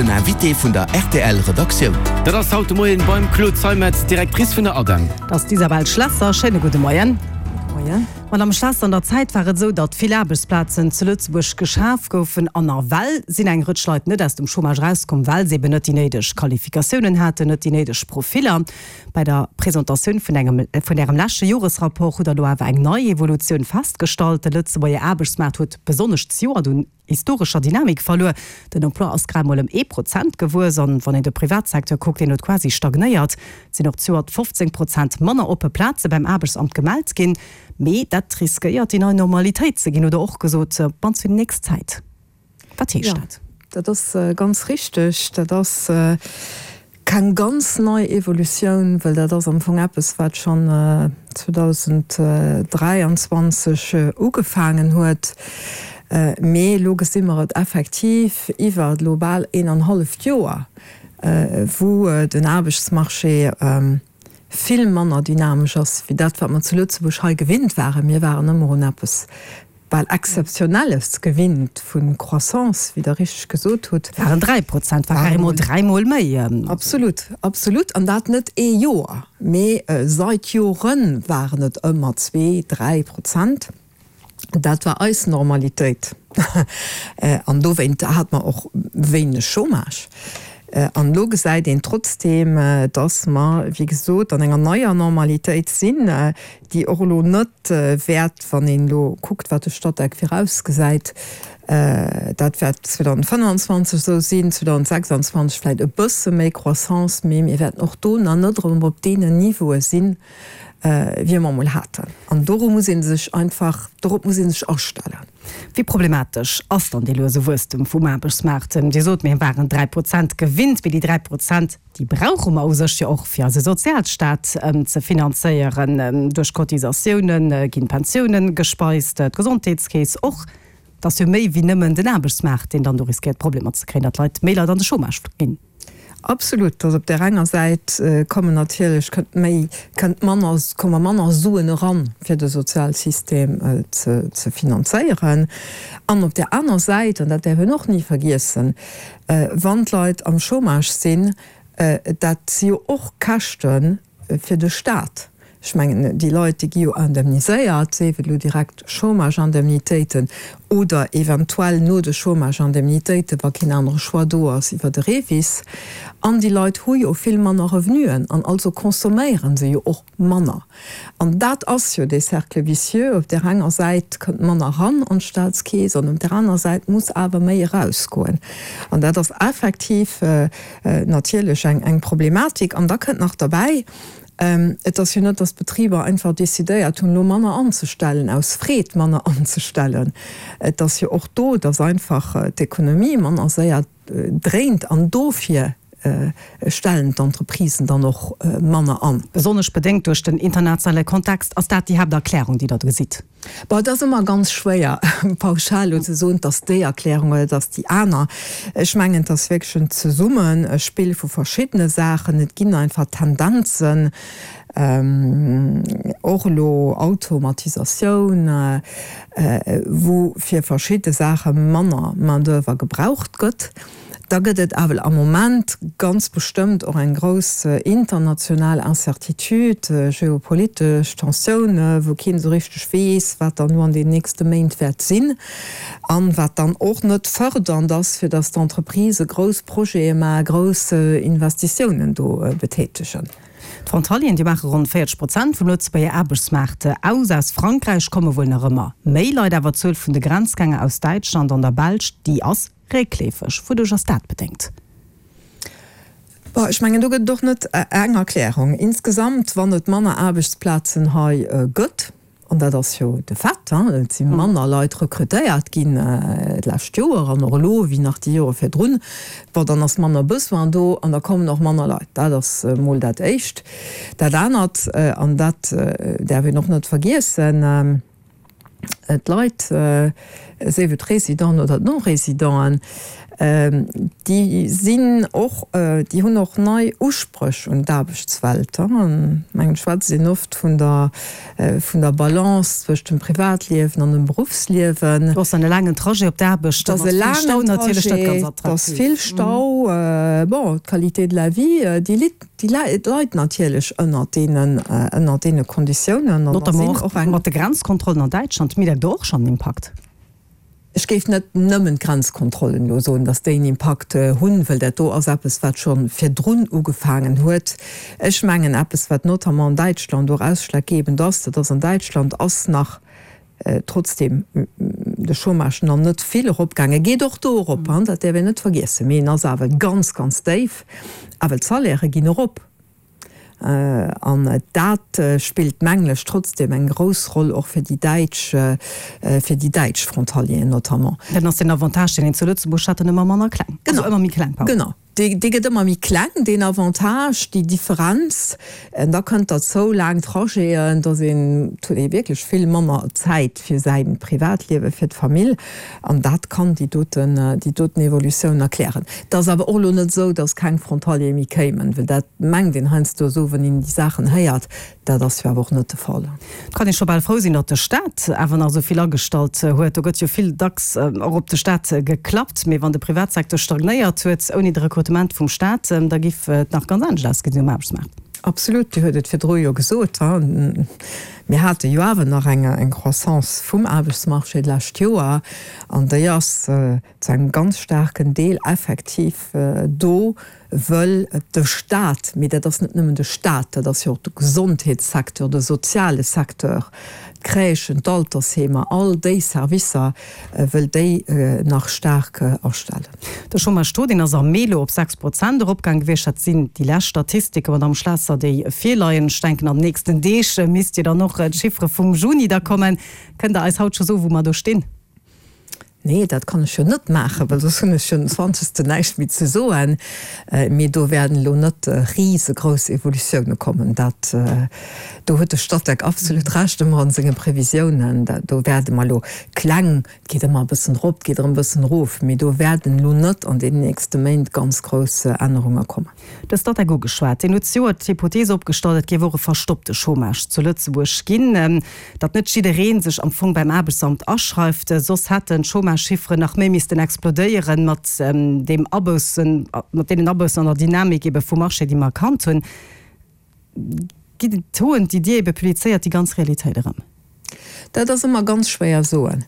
Den Invité vun der rtl Redaktioun. Dat ass haut de Moien beim Claude Zeimetz, Directrice vun der ADEM. Dat ass d'Isabelle Schlesser. Schéine gudde Moien. Moien. Madame Schlesser, an der Zäit war et esou, datt vill Aarbechtsplazen zu Lëtzebuerg geschaf goufen an nawell sinn eng Rëtsch Leit net aus dem Chômage erauskomm, well se eben net déi néideg Qualifikatiounen haten, net déi néideg Profiller. Bei der Presentatioun vun engem vun Ärem leschte Joresrapport hutt Der elo awer eng nei Evolutioun festgestallt, De Lëtzebuerger Aarbechtsmaart huet besonnesch zejoert un historescher Dynamik verluer. Den Emploi ass grad mol ëm ee Prozent gewuess an wann een de Privatsecteur kuckt, deen huet quasi stagnéiert. Et sinn och zejoert 15 Prozent manner oppe Plaze beim Aarbechtsamt gemellt ginn. Mee dat riskéiert déi nei Normalitéit ze ginn, hutt Der och gesot, op d'mannst fir déi nächst Zäit. Wat heescht dat? Dat ass ganz richteg. Dat ass keng ganz nei Evolutioun, well dat ass am Fong eppes, wat schonn 2023 ugefaangen huet. Mee elo gesi mer et effektiv iwwer elo bal een an halleft Joer, wou den Aarbechtsmarché vill manner dynamesch ass wéi dat, wat mer zu Lëtzebuerg hei gewinnt waren. Mir waren ëmmer un eppes bal Exzeptionelles gewinnt vu Croissance, wéi Der richteg gesot hutt. Waren 3%, war carrément dräimol méi. Absolut, absolut. An dat net ee Joer, mee seit Jore waren et ëmmer zwee, 3%. Dat war eis Normalitéit an dowéint hat mer och wéineg Chômage. An elo gesäit een trotzdeem, dass mer, wéi gesot, an enger neier Normalitéit sinn, déi och elo net wäert, wann een elo kuckt, wat de Statec virausgesäit, dat wäert 2025 esou sinn, 2026 vläicht e bësse méi Croissance, mee mir wäerten och do nach net erëm op deenen Niveaue sinn, wéi mer emol haten. An doru muss ee sech einfach, dorop muss ee sech astellen. Wéi problematesch ass dann dee luese Wuesstem vum Aarbechtsmaart? Dir sot, mir waren 3 Prozent gewinnt, mee déi 3 Prozent, déi brauche mer u sech jo och, fir eise Sozialstaat ze finanzéieren. Duerch Cotisatioune ginn d'Pensiounen gespeist, d'Gesondheetskeess och. Et ass jo méi wéi nëmmen den Aarbechtsmaart, deen dann do riskéiert Problemer ze kréien, datt Leit, méi Leit an de Chômage ginn. Absolut, dass op där enger Säit kommen natierlech, kënnt méi, kënnt manner, komme manner Suen eran, fir de Sozialsystem ze, ze finanzéieren. An op där aner Säit, an dat däerf een och ni vergiessen, wann d'Leit am Chômage sinn, dat si jo och Käschte fir de Staat. Ech mengen, déi Leit, déi gi jo indemniséiert, sief et elo direkt Chômage-Indemnitéiten oder eventuell no de Chômage-Indemnitéiten, wa keen anere Choix do ass, iwwer de REVIS. An déi Leit hu jo vill manner Revenuen an also consomméiere se jo och manner. An dat ass jo dee Cercle vicieux, op där enger Säit kënnt manner eran an d'Staatskeess an op där aner Säit muss awer méi erausgoen. An dat ass effektiv natierlech eng Problematik. An da kënnt nach derbäi, Et ass jo net, datt d'Betriber einfach decidéiert hunn, elo manner anzestellen, aus Freed manner anzestellen. Et ass jo och do, datt einfach d'Ekonomie manner séier dréint an dofir stellen d'Entreprisen dann och manner an. Besonnesch bedéngt duerch den internationale Kontext. Ass dat déi Haapterklärung, déi Der do gesitt? Bon, et ass ëmmer ganz schwéier, pauschal elo ze soen, et ass déi Erklärung oder et ass déi aner. Ech mengen, et ass wierklech en Zesummespill vu verschiddene Saachen. Et ginn einfach Tendenzen, och elo Automatisatioun, wou fir verschidde Saache manner Main-d'oeuvre gebraucht gëtt. Da gëtt et awer am Moment ganz bestëmmt och eng grouss international Incertitude, geopolitesch Tensioune wou keen esou richteg weess, wat dann elo an den nächste Méint wäert sinn an wat dann och net fërdernd ass, fir datt d'Entreprisë grouss Projete maachen, grouss Investitiounen do betätegen. D'Frontalieren, déi maache ronn 40 Prozent vum Lëtzebuerger Aarbechtsmaart aus. Aus Frankräich komme wuel nach ëmmer méi Leit, awer d'Zuel vun de Grenzgänger aus Däitschland an der Belsch, déi ass Réckleefeg. Wouduerch ass dat bedéngt? Bon, ech mengen, do gëtt et och net eng Erklärung. Insgesamt, wann et manner Aarbechtsplazen hei gëtt, an dat ass jo de Fait, et si manner Leit rekrutéiert ginn d'lescht Joer an och elo wéi nach déi Jore virdrun, bon, dann ass manner Besoin do an da kommen och manner Leit. Dat ass emol dat Éischt. Dat anert, an dat däerf een och net vergiessen, D'Leit, sief et d'Résidenten oder d'Non-Résidenten. Déi sinn och, déi hunn och nei Uspréch un d'Aarbechtswelt. Ech mengen, et schwätzt een oft vun der, vun der Balance zwëscht dem Privatliewen an dem Beruffsliewen. Do ass dann e laangen Trajet op d'Aarbecht, mat vill Stau natierlech net ganz attraktiv. Et ass vill Stau. Bon, d'Qualité de la vie, déi litt, déi leit natierlech ënnert deenen, ënnert deene Konditiounen. Notamment och mat de Grenzkontrollen an Däitschland. Mierkt Der do och schonn en Impakt? Ech géif net nëmmen d'Grenzkontrollen elo soen, datt déi en Impakt hunn, well dat do ass eppes, wat scho virdrun ugefaangen huet. Ech mengen, eppes, wat notamment an Däitschland och ausschlaggebend ass, dat ass, an Däitschland ass nach trotzdeem de Chômage nach net vill eropgaangen, geet och do erop, dat däerf een net vergiessen, mee en ass awer ganz, ganz déif, awer d'Salairë ginn erop. An dat spillt, mengen ech, trotzdem eng grouss Roll och fir déi däitsch, fir déi däitsch Frontalieren notamment. Dann ass deen Avantage, deen een zu Lëtzebuerg hat, dann ëmmer manner kleng, also ëmmer méi kleng, pardon. Genau, dee gëtt ëmmer méi kleng, deen Avantage, déi Differenz. An da kënnt derzou laang Trajeten, dass een, et huet ee wierklech vill manner Zäit fir säi Privatliewen, fir d'Famill. An dat kann déi doten, déi doten Evolutioun erklären. Et ass awer och elo net esou, dass keng Frontaliere méi kéimen, well dat mengt een heiansdo esou, wann een déi Saachen héiert. Dat ass jo awer och net de Fall. Et kann ee scho bal frou sinn, datt de Staat awer nach esou vill agestallt huet. Do gëtt jo vill dacks och op de Staat geklappt. Mee wann de Privatsecteur stagnéiert huet ouni de Rekrutement vum Staat, da giff et nach ganz anescht ausgesinn um Aarbechtsmaart. Absolut, Dir huet et virdru jo gesot. Mir hate jo awer nach eng Croissance vum Aarbechtsmarché d'lescht Joer, an déi ass zu engem ganz staarken Deel effektiv do, wëll de Stat, mee dat ass net nëmmen de Stat, dat ass jo och de Gesondheetssecteur, de soziale Secteur, d'Crèchen, d'Altersheemer, all déi Servicer, wëll déi nach staark astellen. De Chômage-Taux, deen ass am Mee elo op 6 Prozent eropgaang gewiescht. Dat sinn déi lescht Statistiken, Madamm Schlesser, déi virleien. Ech denken, an den nächsten Deeg misst jo dann och d'Chiffere vum Juni da kommen. Kënnt Der eis haut scho soen, wou mer do stinn? Nee, dat kann ech jo net maachen, well soss hunn ech jo den zwanzegsten näischt méi ze soen. Mee do wäerten elo net risegrouss Evolutioune kommen. Dat, do huet de Statec absolut Recht ëmmer an senge Previsiounen. Do wäerte mer elo kleng, et geet ëmmer e bëssen erop, et geet erëm e bëssen erof, mee do wäerten elo net an deenen nächste Méint ganz grouss Ännerunge kommen. De Statec ugeschwat. Deen huet zejoert d'Hypothees opgestallt, et géif och e verstoppte Chômage zu Lëtzebuerg ginn, datt net jidderee sech am Fong beim Aarbechtsamt aschreift. Soss hätten d'Chômage-Chifferen nach méi missten explodéieren, mat deem Aboussen, mat deenen Aboussen an der Dynamik ebe vum Marché, déi mer erkannt hunn. Ginn d'Tauxen, déi Dir ebe publizéiert, déi ganz Realitéit erëm? Dat ass ëmmer ganz schwéier soen.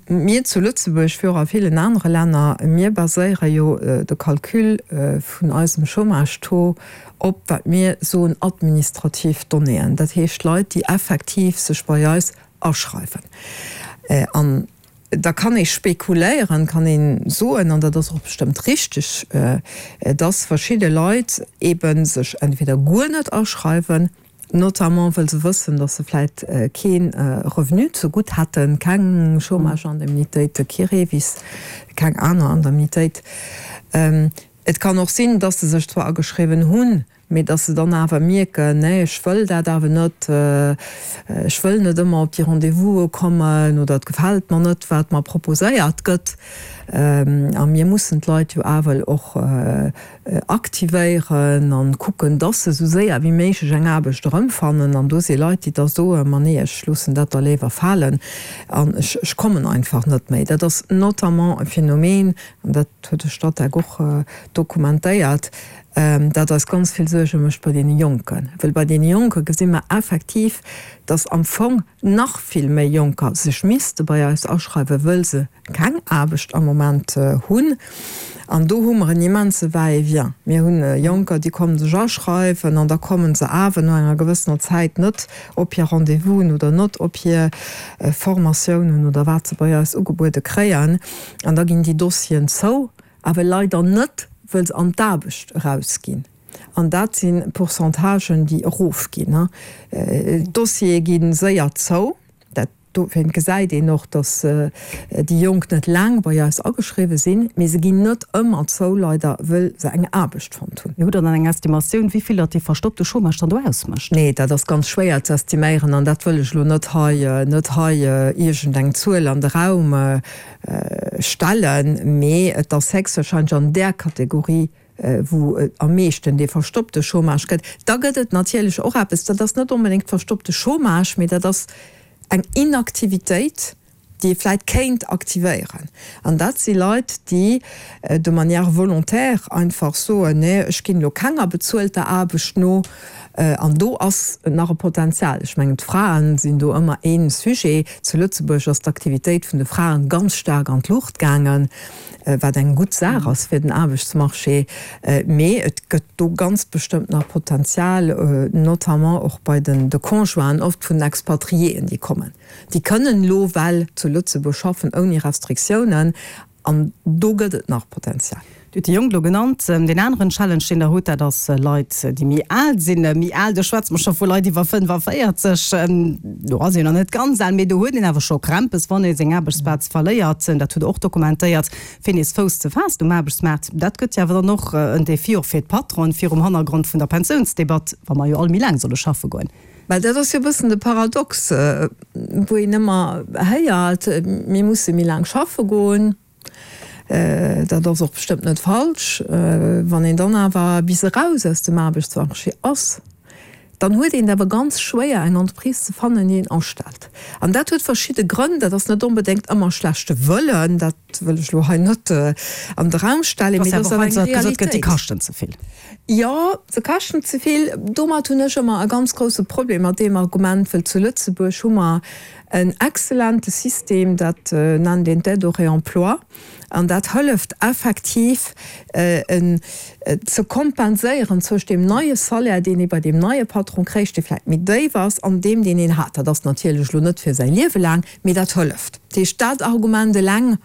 Mir zu Lëtzebuerg, wéi och a villen anere Länner, mir baséiere jo de Calcul vun eisem Chômage-Taux op, wat mir soen, administrativ Donnéeën, dat heescht Leit, déi effektiv sech bei eis aschreiwen. An da kann ee spekuléieren, kann ee soen, an dat ass och bestëmmt richteg, dass verschidde Leit eebe sech entweder guer net aschreiwen, notamment wëll se wëssen, datt se vläit kee Revenu zegutt hätten, keng Chômage-Indemnitéit, kee REVIS, keng aner Indemnitéit. Et kann och sinn, datt se sech zwar ageschriwwen hunn, mee datt se dann awer mierken, nee, ech wëll dat awer net, ech wëll net ëmmer op déi Rendez-vouse kommen oder et gefält mer net, wat mer proposéiert gëtt. A mir mussen d'Leit jo awer och aktivéieren an kucken, dass se esou séier wéi méiglech eng Aarbecht erëmfannen. An do si Leit, déi da soen, ma nee, ech loossen dat da léiwer falen an ech, ech kommen einfach net méi. Dat ass notamment e Phänomen, an dat huet de Statec och dokumentéiert, dat eis ganz vill Suerge mécht bei deene Jonken. Well bei deene Jonke gesi mer effektiv, dass am Fong nach vill méi Jonker sech misste bei eis aschreiwen, wëll se keng Aarbecht am Moment hunn. An do hu mer en immense Va-et-vient. Mir hu Jonker, déi kommen sech aschreiwen an da komme se awer no enger gewëssener Zäit net op hir Rendez-vousen oder net op hir Formatiounen oder wat se bei eis ugebuede kréien. An da ginn déi Dossieren zou, awer leider net, wëll se an d'Aarbecht erausginn. An dat si Pourcentagen, déi erofginn. D'Dossiere gi séier zou. Dofir gesäit een och, datt déi Jonk net laang bei eis ageschriwwe sinn, mee se ginn net ëmmer zou, leider, wëll se eng Aarbecht fonnt hunn. Mee hutt Der dann eng Estimatioun, wéi vill datt dee verstoppte Chômage dann do ausmécht? Nee, dat ass ganz schwéier ze estiméieren an dat wëll ech elo net hei, net hei iergendeng Zuel an de Raum stellen. Mee et ass héchstwahrscheinlech an där Kategorie, wou et am meeschten dee verstoppte Chômage gëtt. Da gëtt et natierlech och eppes, dat ass net onbedéngt verstoppte Chômage, mee dat ass eng Inaktivitéit, déi ee vläit kéint aktivéieren. An dat si Leit, déi de manière volontaire einfach soen, nee, ech ginn elo kenger bezuelter Aarbecht no. An do ass nach e Potenzial. Ech mengen, d'Fraen sinn do ëmmer ee Sujet. Zu Lëtzebuerg ass d'Aktivitéit vun de Fraen ganz staark an d'Luucht gaangen. wat eng gutt Saach ass fir den Aarbechtsmarché, mee et gëtt do ganz bestëmmt nach Potenzial, notamment och bei den de Conjointen oft vun den Expatriéen, déi kommen. Déi kënnen elo well zu Lëtzebuerg schaffen ouni Restriktiounen an do gëtt et nach Potenzial. Dir hutt déi Jonk elo genannt. Deen aneren Challenge, deen Der hutt, dat ass Leit, déi méi al sinn. Méi al, do schwätze mer scho vu Leit iwwer 45. Do ass een nach net ganz al, mee do huet een awer scho Krämpes, wann ee seng Aarbechtsplaz verléiert. Dat hutt Der och dokumentéiert, fir nees Fouss ze faassen um Aarbechtsmaart. Dat gëtt jo awer dann och en Défi och fir d'Patronen, virum Hannergrond vun der Pensiounsdebatt, wa mer jo all méi laang solle schaffe goen. Well dat ass jo e bëssen de Paradox, wou een ëmmer héiert, mir musse méi laang schaffe goen. Dat ass och bestëmmt net falsch. Wann een dann awer bis eraus aus dem Aarbechtsmarché ass, dann huet een et awer ganz schwéier, eng Entreprise ze fannen, déi een astellt. An dat huet verschidde Grënn. Dat ass net onbedéngt ëmmer schlechte Wëllen, dat wëll ech elo hei net an de Raum stellen, mee dat ass awer eng Realitéit. Déi kaschten ze vill. Jo, se kaschten ze vill. Domat hunn ech ëmmer e ganz grousse Problem, mat deem Argument, wëll zu Lëtzebuerg hu mer En excellente System, dat nennt een d'Aide au réemploi, an dat hëlleft effektiv ze kompenséieren zwëscht deem neie Salaire, deen ee bei deem neie Patron kréich, dee vläicht méi déif ass, an deem, deen een hat. Dat ass natierlech elo net fir säi Liewe laang, mee dat hëlleft. Dat heescht, dat Argument eleng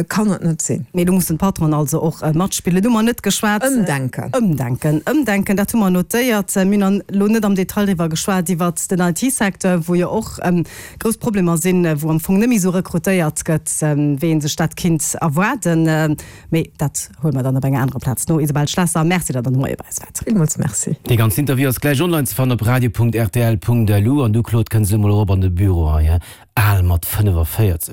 Kann et net sinn. Mee do mussen d'Patronen also och matspillen. Do hu mer net geschwat. Ëmdenken. Ëmdenken. Ëmdenken, dat hu mer notéiert. Mir hunn elo net am Detail driwwer geschwat, iwwert den IT-Secteur, wou jo och grouss Problemer sinn, wou am Fong net méi esou rekrutéiert gëtt, wéi ee sech dat kinnt erwaarden. Mee dat huele mer dann op enger anerer Plaz no. Isabelle Schlesser, Merci, datt Der de Moie bei eis waart. Villmools Merci. Dee ganzen Interview ass gläich online ze fannen op radio.rtl.lu. An du, Claude, kënns elo mol erop an de Büro hei, he? Al mat 45.